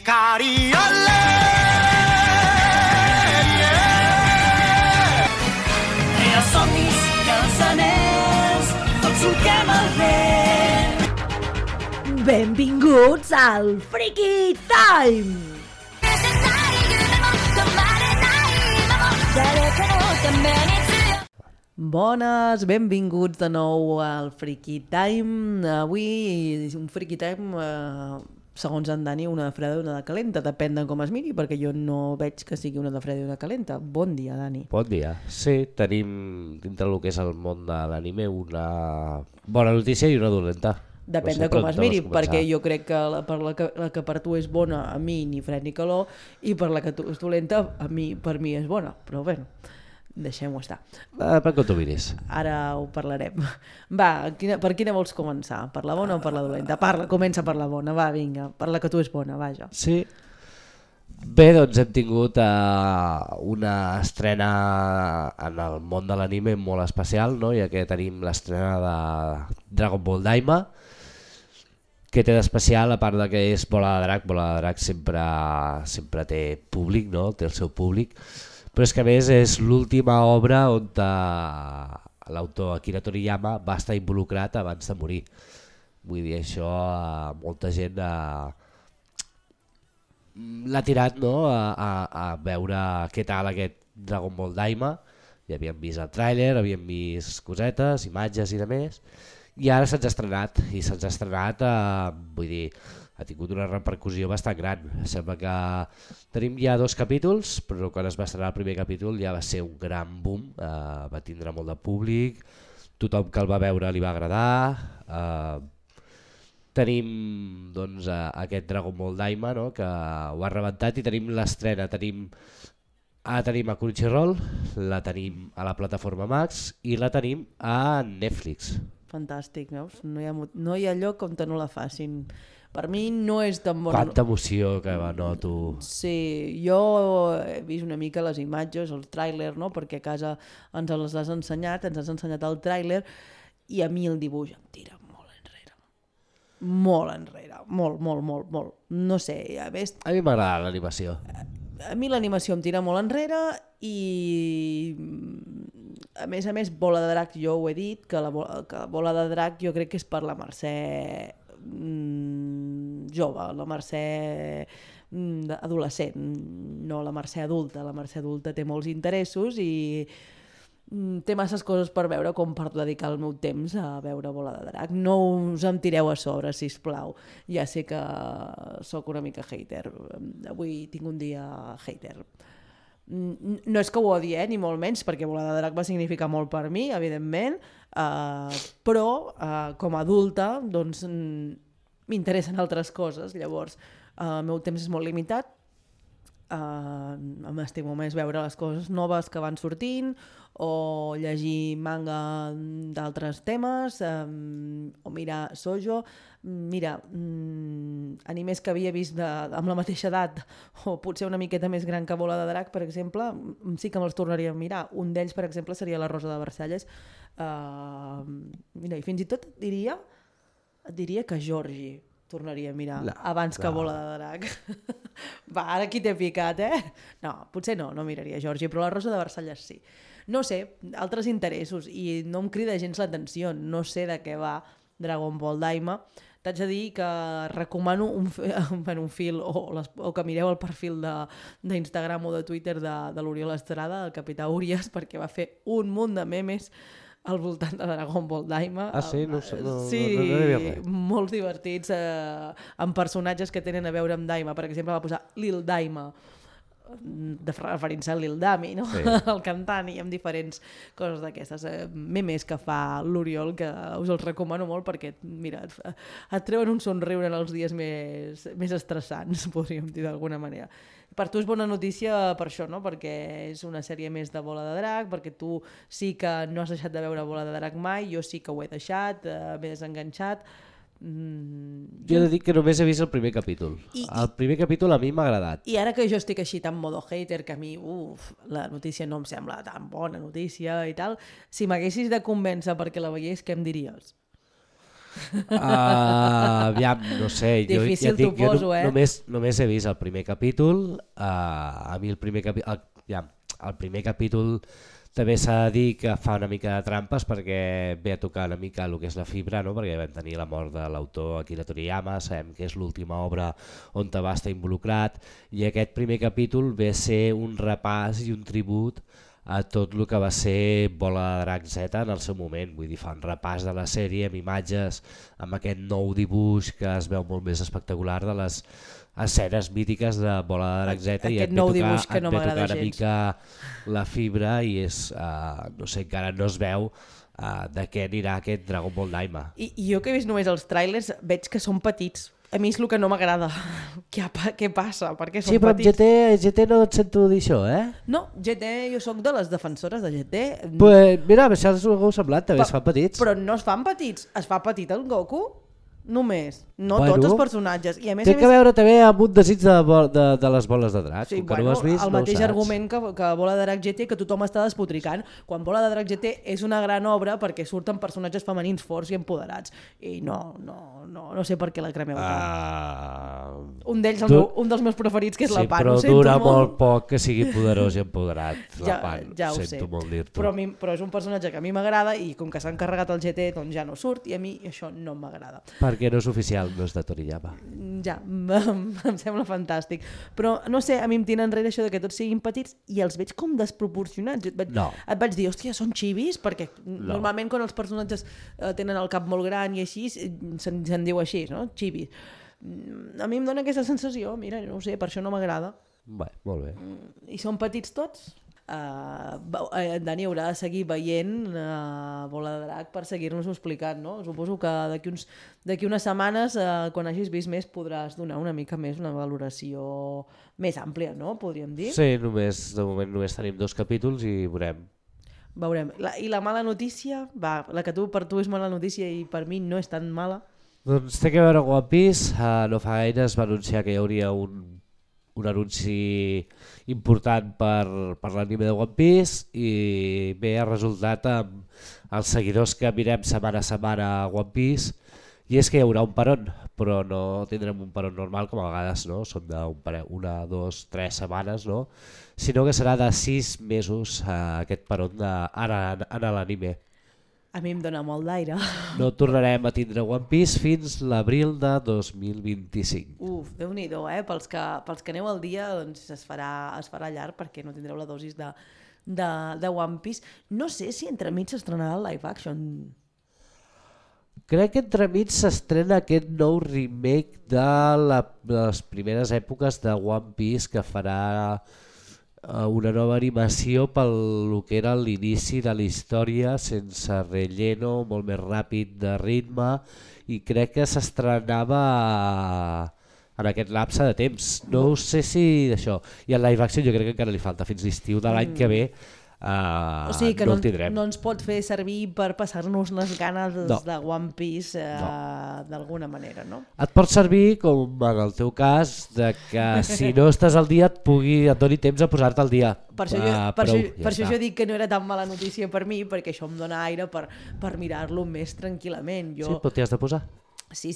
Hikari, olé! Els somnis i els anells, tots solquem el vent. Benvinguts al Freaky Time! Bones, benvinguts de nou al Freaky Time. Avui un Freaky Time, segons en Dani, una de freda i una de calenta. Depèn de com es miri, perquè jo no veig que sigui una de freda i una calenta. Bon dia, Dani. Bon dia. Sí, tenim dintre del que és el món de l'anime una bona notícia i una dolenta. Depèn de com es miri, perquè jo crec que la que per tu és bona, a mi ni fred ni calor, i per la que tu és dolenta, per mi és bona. Però bé, deixem-ho estar. Per què t'ho miris? Ara ho parlarem. Va, per quina vols començar? Per la bona o per la dolenta? Comença per la bona, va, vinga, per la que tu és bona, vaja. Sí. Bé, doncs hem tingut una estrena en el món de l'anime molt especial, no? Ja que tenim l'estrena de Dragon Ball Daima, que té d'especial, a part de que és Bola de Drac sempre té públic, no? Té el seu públic, però és que a més és l'última obra on l'autor Akira Toriyama va estar involucrat abans de morir. Vull dir, això molta gent l'ha tirat, no? a veure què tal aquest Dragon Ball Daima. Ja havíem vist el tràiler, havíem vist cosetes, imatges i de més, i ara se'ns ha estrenat, vull dir, ha tingut una repercussió bastant gran. Sembla que tenim ja 2 capítols, però quan es va estrenar el primer capítol ja va ser un gran boom, va tindre molt de públic, tothom que el va veure li va agradar. Tenim doncs, aquest Dragon Ball Daima, no? Que ho ha rebentat, i tenim l'estrena, tenim a Crunchyroll, la tenim a la plataforma Max i la tenim a Netflix. Fantàstic, veus? No hi ha lloc on no la facin. Per mi no és tan bona... Quanta emoció que noto. Sí, jo he vist una mica les imatges, el tràiler, no? Perquè a casa ens les has ensenyat, ens has ensenyat el tràiler, i a mi el dibuix em tira molt enrere. Molt enrere, molt. No sé, a més... A mi m'agrada l'animació. A mi l'animació em tira molt enrere i a més Bola de Drac, jo ho he dit, que la Bola de Drac jo crec que és per la Mercè jove, la Mercè adolescent, no la Mercè adulta. La Mercè adulta té molts interessos i té masses coses per veure com per dedicar el meu temps a veure Bola de Drac. No us em tireu a sobre, sisplau. Ja sé que sóc una mica hater. Avui tinc un dia hater. No és que ho odie, ni molt menys, perquè Bola de Drac va significar molt per mi, evidentment, però com a adulta doncs, m'interessen altres coses. Llavors, el meu temps és molt limitat. M'estimo més veure les coses noves que van sortint o llegir manga d'altres temes o mirar shoujo. Mira, animes que havia vist amb la mateixa edat o potser una miqueta més gran que Bola de Drac, per exemple, sí que me'ls tornaria a mirar. Un d'ells, per exemple, seria La Rosa de Versalles. Mira, i fins i tot et diria que Georgie tornaria a mirar abans que Bola de Drac. Va, ara qui t'he picat, eh? No, potser no miraria Georgie, però La Rosa de Versalles sí. No sé, altres interessos, i no em crida gens l'atenció, no sé de què va Dragon Ball Daima. T'haig de dir que recomano un fil o que mireu el perfil d'Instagram o de Twitter de l'Oriol Estrada, el capità Urias, perquè va fer un munt de memes al voltant de Dragon Ball Daima. Ah, sí? No sí, molts divertits, amb personatges que tenen a veure amb Daima. Per exemple, va posar Lil Daima, referint-se a Lil Dami, no? Sí. El cantant, i amb diferents coses d'aquestes. Memes que fa l'Oriol, que us els recomano molt perquè, mira, et treuen un somriure en els dies més estressants, podríem dir d'alguna manera. Per tu és bona notícia per això, no? Perquè és una sèrie més de Bola de Drac, perquè tu sí que no has deixat de veure Bola de Drac mai, jo sí que ho he deixat, m'he desenganxat. Jo he de dir que només he vist el primer capítol. El primer capítol a mi m'ha agradat. I ara que jo estic així tan modo hater, que a mi la notícia no em sembla tan bona notícia i tal, si m'haguessis de convèncer perquè la veiés, què em diries? Aviam, no sé. Difícil jo t'ho poso, només he vist el primer capítol. A mi el primer capítol... El primer capítol també s'ha de dir que fa una mica de trampes perquè ve a tocar una mica el que és la fibra, no? Perquè vam tenir la mort de l'autor Akira Toriyama, sabem que és l'última obra on va estar involucrat, i aquest primer capítol ve a ser un repàs i un tribut a tot el que va ser Bola de Drac Z en el seu moment. Vull dir, fa un repàs de la sèrie amb imatges, amb aquest nou dibuix que es veu molt més espectacular de les escenes mítiques de Bola de Drac Z, i aquest nou dibuix que no m'agrada gens. Una mica la fibra i és, no sé, encara no es veu de què anirà aquest Dragon Ball Daima. I jo que he vist només els trailers veig que són petits. A mi és el que no m'agrada. Què passa? Per què són petits? Sí, però amb GT no et sento dir això, No, GT, jo sóc de les defensores de GT. Pues, mira, això és el que heu semblat, també es fan petits. Però no es fan petits, es fa petit el Goku només, no tots els personatges. I a més, té que veure també amb un desig de les boles de drac. Sí, bueno, el mateix argument que Bola de Drac GT, que tothom està despotricant, quan Bola de Drac GT és una gran obra perquè surten personatges femenins forts i empoderats, i no sé per què la cremeu tant. Un d'ells, un dels meus preferits, que és la Pan. Però dura molt poc que sigui poderós i empoderat, la Pan. Ja ho sé, sento molt dir-t'ho. però és un personatge que a mi m'agrada, i com que s'han carregat el GT doncs ja no surt, i a mi això no m'agrada. Perquè no és oficial, no és de Toriyama. Ja, em sembla fantàstic. Però no sé, a mi em tira enrere això de que tots siguin petits i els veig com desproporcionats. Et vaig dir, hòstia, són xivis? Perquè normalment quan els personatges tenen el cap molt gran i així, se'n diu així, no? Xivis. A mi em dona aquesta sensació, mira, no ho sé, per això no m'agrada. Bé, molt bé. I són petits tots? En Dani haurà de seguir veient Bola de Drac per seguir-nos-ho explicant, no? Suposo que d'aquí unes setmanes, quan hagis vist més, podràs donar una mica més una valoració més àmplia, no? Podríem dir. Sí, de moment només tenim 2 capítols i veurem. I la mala notícia? La que per tu és mala notícia i per mi no és tan mala. Doncs té que veure amb One Piece. No fa gaire es va anunciar que hi hauria un anunci important per l'anime de One Piece, i bé, ha resultat amb els seguidors que mirem setmana a setmana a One Piece, i és que hi haurà un peron, però no tindrem un peron normal com a vegades, no? Són d'una, 2, 3 setmanes, no? Sinó que serà de 6 mesos aquest peron en l'anime. A mi em dóna molt d'aire. No tornarem a tindre One Piece fins l'abril de 2025. Déu-n'hi-do, pels que aneu al dia doncs es farà llarg perquè no tindreu la dosis de One Piece. No sé si entremig s'estrenarà el live action. Crec que entremig s'estrena aquest nou remake de les primeres èpoques de One Piece, que farà una nova animació pel que era l'inici de la història, sense relleno, molt més ràpid de ritme, i crec que s'estrenava en aquest lapse de temps. No sé si d'això. I el live action jo crec que encara li falta fins l'estiu de l'any que ve. O sigui que no el tindrem. No ens pot fer servir per passar-nos les ganes de One Piece d'alguna manera, no? Et pot servir, com en el teu cas, de que si no estàs al dia et doni temps a posar-te al dia. Per això jo dic que no era tan mala notícia per mi, perquè això em dona aire per mirar-lo més tranquil·lament. Sí, però t'hi has de posar. Sí,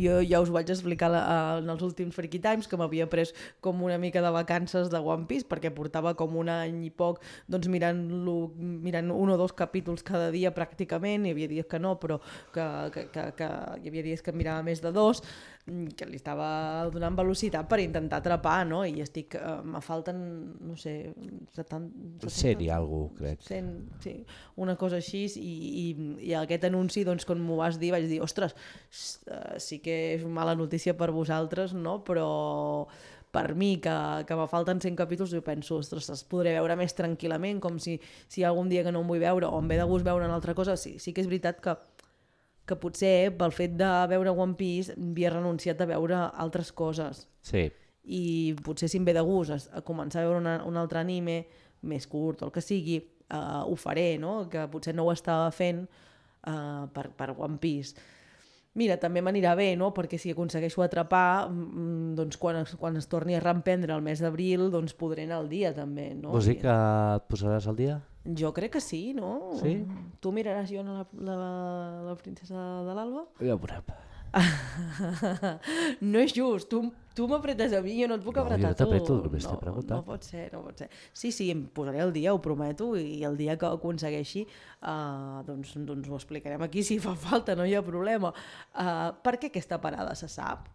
jo ja us vaig explicar en els últims Freaky Times que m'havia pres com una mica de vacances de One Piece, perquè portava com un any i poc doncs mirant 1 o 2 capítols cada dia pràcticament. Hi havia dies que no, però que hi havia dies que mirava més de 2, que li estava donant velocitat per intentar atrapar, no? I estic, me falten, no sé, 70... 100 i alguna cosa, crec. 100, sí, una cosa així, i aquest anunci, doncs, quan m'ho vas dir, vaig dir, ostres, sí que és una mala notícia per vosaltres, no? Però per mi, que me falten 100 capítols, jo penso, ostres, els podré veure més tranquil·lament, com si hi ha algun dia que no em vull veure o em ve de gust veure una altra cosa. Sí que és veritat que potser pel fet de veure One Piece havia renunciat a veure altres coses. Sí. I potser si em ve de gust a començar a veure un altre anime més curt o el que sigui, ho faré, no? Que potser no ho estava fent per One Piece. Mira, també m'anirà bé, no? Perquè si aconsegueixo atrapar, doncs quan es torni a reemprendre el mes d'abril, doncs podré anar al dia també, no? Vols dir que et posaràs al dia? Jo crec que sí, no? Sí? Tu miraràs jo la princesa de l'Alba? Ja ho veurem. No és just, tu m'apretes a mi, jo no et puc apretar jo no t'apreto, només t'he preguntat. No pot ser. Sí, em posaré el dia, ho prometo, i el dia que ho aconsegueixi doncs ho explicarem aquí si fa falta, no hi ha problema. Per què aquesta parada se sap?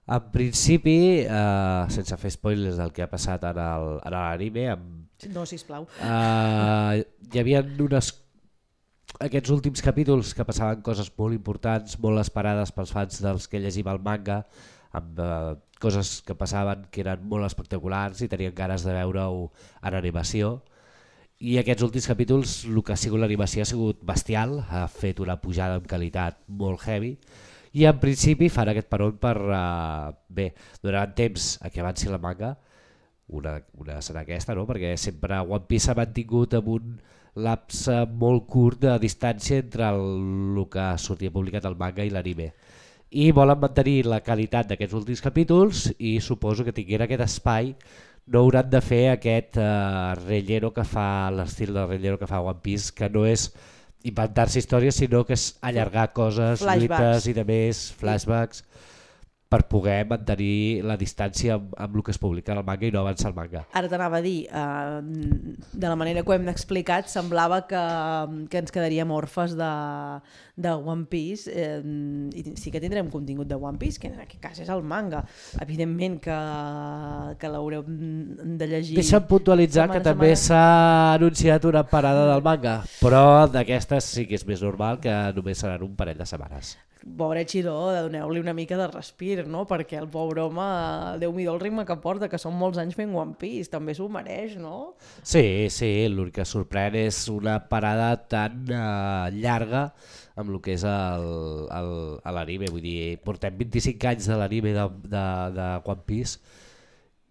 En principi, sense fer spoilers del que ha passat en l'anime, No, sisplau. hi havia aquests últims capítols que passaven coses molt importants, molt esperades pels fans dels que llegim el manga, amb coses que passaven que eren molt espectaculars i tenien ganes de veure-ho en animació. I aquests últims capítols, el que ha sigut l'animació ha sigut bestial, ha fet una pujada en qualitat molt heavy, i en principi fan aquest peron per donar temps a que avanci la manga. Una serà aquesta, no? Perquè sempre One Piece s'ha mantingut amb un lapse molt curt de distància entre el que sortia publicat al manga i l'anime. I volen mantenir la qualitat d'aquests últims capítols i suposo que tinguent aquest espai no hauran de fer aquest relleno que fa, l'estil de relleno que fa One Piece, que no és inventar-se històries, sinó que és allargar coses, lluites i de més, flashbacks, per poder mantenir la distància amb el que es publica en el manga i no avançar el manga. Ara t'anava a dir, de la manera que ho hem explicat, semblava que ens quedaríem orfes de One Piece, i sí que tindrem contingut de One Piece, que en aquest cas és el manga. Evidentment que l'haureu de llegir. Deixa'm puntualitzar que també s'ha anunciat una parada del manga, però d'aquestes sí que és més normal que només seran un parell de setmanes. Pobre Chiro, doneu-li una mica de respir, no? Perquè el pobre home, Déu-m'hi-do el ritme que porta, que són molts anys fent One Piece, també s'ho mereix, no? Sí, l'únic que sorprèn és una parada tan llarga amb el que és l'anime, vull dir, portem 25 anys de l'anime de One Piece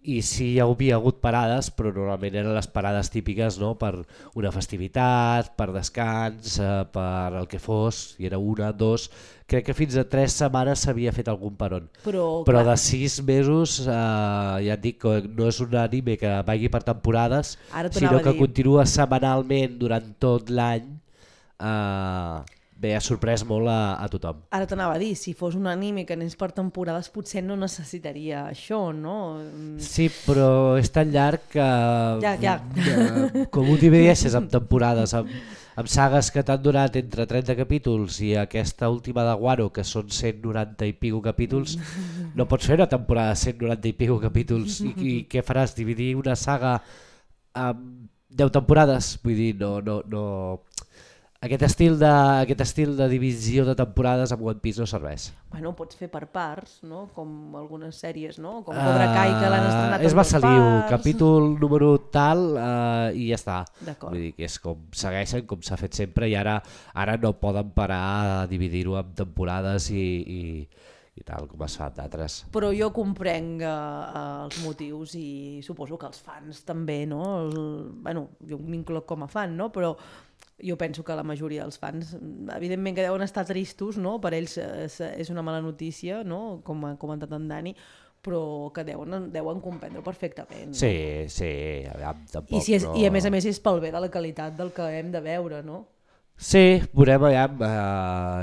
i sí hi havia hagut parades, però normalment eren les parades típiques, no? Per una festivitat, per descans, per el que fos, i era una, dos, crec que fins a 3 setmanes s'havia fet algun peron. Però de 6 mesos, ja et dic que no és un anime que vagi per temporades, sinó que continua setmanalment durant tot l'any. Bé, ha sorprès molt a tothom. Ara t'anava a dir, si fos un anime que anés per temporades potser no necessitaria això, no? Sí, però és tan llarg que... Ja. Com ho divideixes amb temporades, amb sagues que t'han durat entre 30 capítols i aquesta última de Wano, que són 190 i pico capítols, no pots fer una temporada de 190 i pico capítols i què faràs? Dividir una saga amb 10 temporades? Vull dir, no... Aquest estil de divisió de temporades amb One Piece no serveix. Bueno, pots fer per parts, no? Com algunes sèries, no? Com Cobra Kai, que l'han estrenat en 2 parts. És massa liu, capítol número tal i ja està. D'acord. Vull dir que és com segueixen, com s'ha fet sempre, i ara no poden parar a dividir-ho en temporades i tal, com es fa d'altres. Però jo comprenc els motius i suposo que els fans també, no? Bueno, jo m'incloc com a fan, no? Però jo penso que la majoria dels fans, evidentment que deuen estar tristos, no? Per ells és una mala notícia, no? Com ha comentat en Dani, però que deuen comprendre perfectament. No? Sí, tampoc. I a més és pel bé de la qualitat del que hem de veure, no? Sí, veurem ja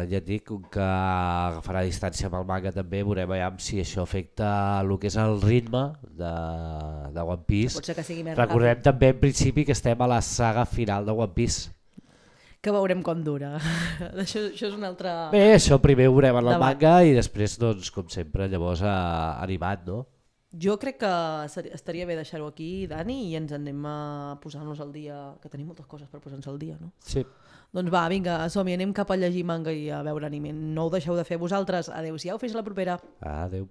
et dic que agafarà distància amb el manga també, veurem si això afecta el que és el ritme de One Piece. Pot ser que sigui més Recordem ràpid. també en principi que estem a la saga final de One Piece. Que veurem com dura. Això és un altre... Bé, això primer ho veurem en el manga i després, doncs, com sempre, llavors animat, no? Jo crec que estaria bé deixar-ho aquí, Dani, i ens anem a posar-nos al dia, que tenim moltes coses per posar-nos al dia, no? Sí. Doncs va, vinga, som-hi, anem cap a llegir manga i a veure anime. No ho deixeu de fer vosaltres. Adéu-siau, fins la propera. Adéu.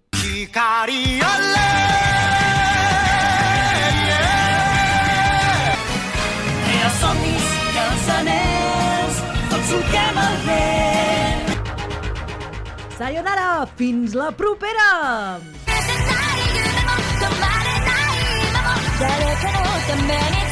Crea somnis i els anells, tots solquem el vent. Sayonara, fins la propera! 誰かのために